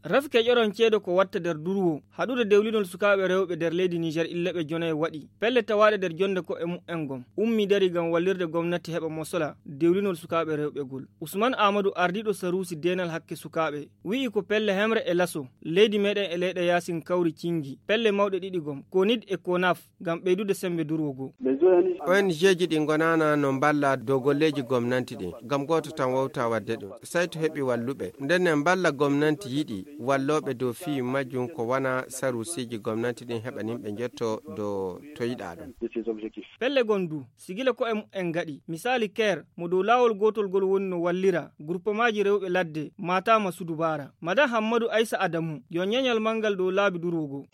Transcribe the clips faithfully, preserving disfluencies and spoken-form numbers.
Rafi keƴoron ceedo ko watta nder durwo haɗude dewlinol sukaaɓe rewɓe nder leydi Niger illeɓe jonayi waɗi pelle tawaaɗe nder jonde ko e mu'en gom ummi dari ngam wallirde gomnati heɓa mosola dewlinol sukaaɓe rewɓe gol. Usman Amadou, ardiiɗo saruusi deenal hakke sukaaɓe, wi'i ko pelle hemre e laso leydi meɗen e leyɗe yaasin kawri cingi pelle mawɗe ɗiɗi gom, konid e konaf, ngam ɓeydude sembe durwo goo. Ong ji ɗi ngonana no mballa dow golleeji gomnanti ɗin ngam gooto tan wawta waɗde ɗum. Saytu heɓi walluɓe nden ne mballa gomnanti yiɗi wallooɓe dow fii majjum ko wona saruusiiji gomnanti ɗin heɓaninɓe njotto dow to yiɗa ɗum. Pelle gon du sigila ko e mu'en ngaɗi misaali ker mo dow laawol gootol ngol woni no wallira gurpamaaji rewɓe ladde maataama sudubaara. Madan hammadu aysa adamu yo ñeñal manngal dow laabi durwo goo.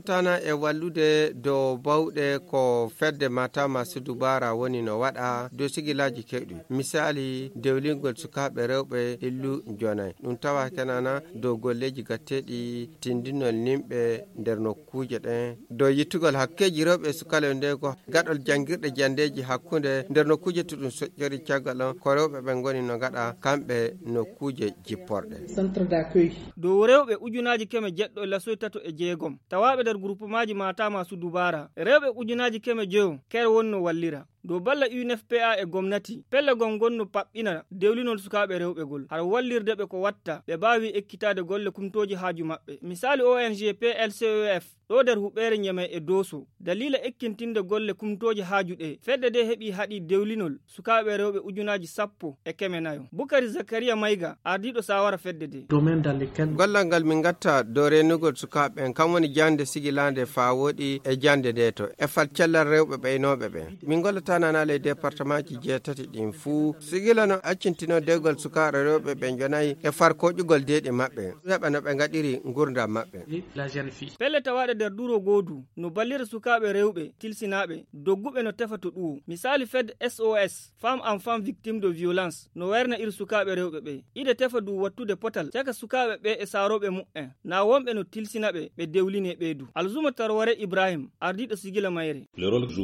Tana e wallude dow bawɗe ko fedde maataama sudubaara woni no waɗa dow sigilaaji kewɗi, misaali dewlingol sukaaɓe rewɓe illu jonay ɗum tawa kenana dow golleeji gatteeɗi tindinol nimɓe nder nokkuuje ɗen dow yittugol hakkeeji rewɓe e sukaaɓe nde ko gaɗol janngirɗe janndeeji hakkunde nder nokkuuje to ɗum soƴƴori caggal on ko rewɓe ɓe ngoni no ngaɗa kamɓe nokkuuje jipporɗe. Dow rewɓe ujunaaji keme jeɗɗo e lasoy tato e jeegom tawaaɓe nder gurupemaaji maataama su dubaara rewɓe ujunaaji keme joyo ker wonno wallira dow balla unfpa e gomnati pelle gom ngonno paɓɓina dewlinol sukaaɓe rewɓe gol har wallirde ɓe ko watta ɓe mbaawi ekkitaade golle kumtooji haaju maɓɓe misaali ong plcof ɗo nder huɓeere ñamay e dooso daliila ekkintinde golle kumtooji haaju ɗe fedde de heɓi haɗi dewlinol sukaaɓe rewɓe ujunaaji sappo e keme nayo. Bukari zakariya mayga ardiiɗo saawara fedde de. Gollal ngal min ngatta dow reenugol sukaaɓe ɓen kam woni jannde sigilaande faa wooɗi e jannde ndeeto e fal cellal rewɓe ɓeynooɓe ɓen. Min ngollata nanaale e departemaaji jeetati ɗin fuu sigila no accintino deegol sukaaɓe rewɓe ɓe njonayi e far koƴugol deeɗi maɓɓe heɓa no ɓe ngaɗiri ngurndan maɓɓe. Pelle tawaaɗe nder duro goodu no ballira sukaaɓe rewɓe tilsinaaɓe dogguɓe no tefa to ɗuwo misaali fed sos femme enfant victime de violence no wayra na iri sukaaɓe rewɓe ɓe ide tefa du wattude potal caka sukaaɓe ɓe e saarooɓe muɓɓen na wonɓe no tilsina ɓe ɓe dewline ɓe du. Alzuma tarware ibrahim ardiiɗo sigila mayre.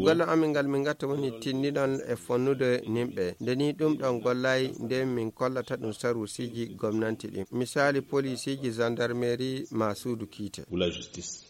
Golle amin ngal min gatta woni tinndinal e fonnude nimɓe nde ni ɗum ɗon gollay nde min kollata ɗum saruusiiji gomnanti ɗin misaali poliisiiji zandarmeri ma suudu kiite.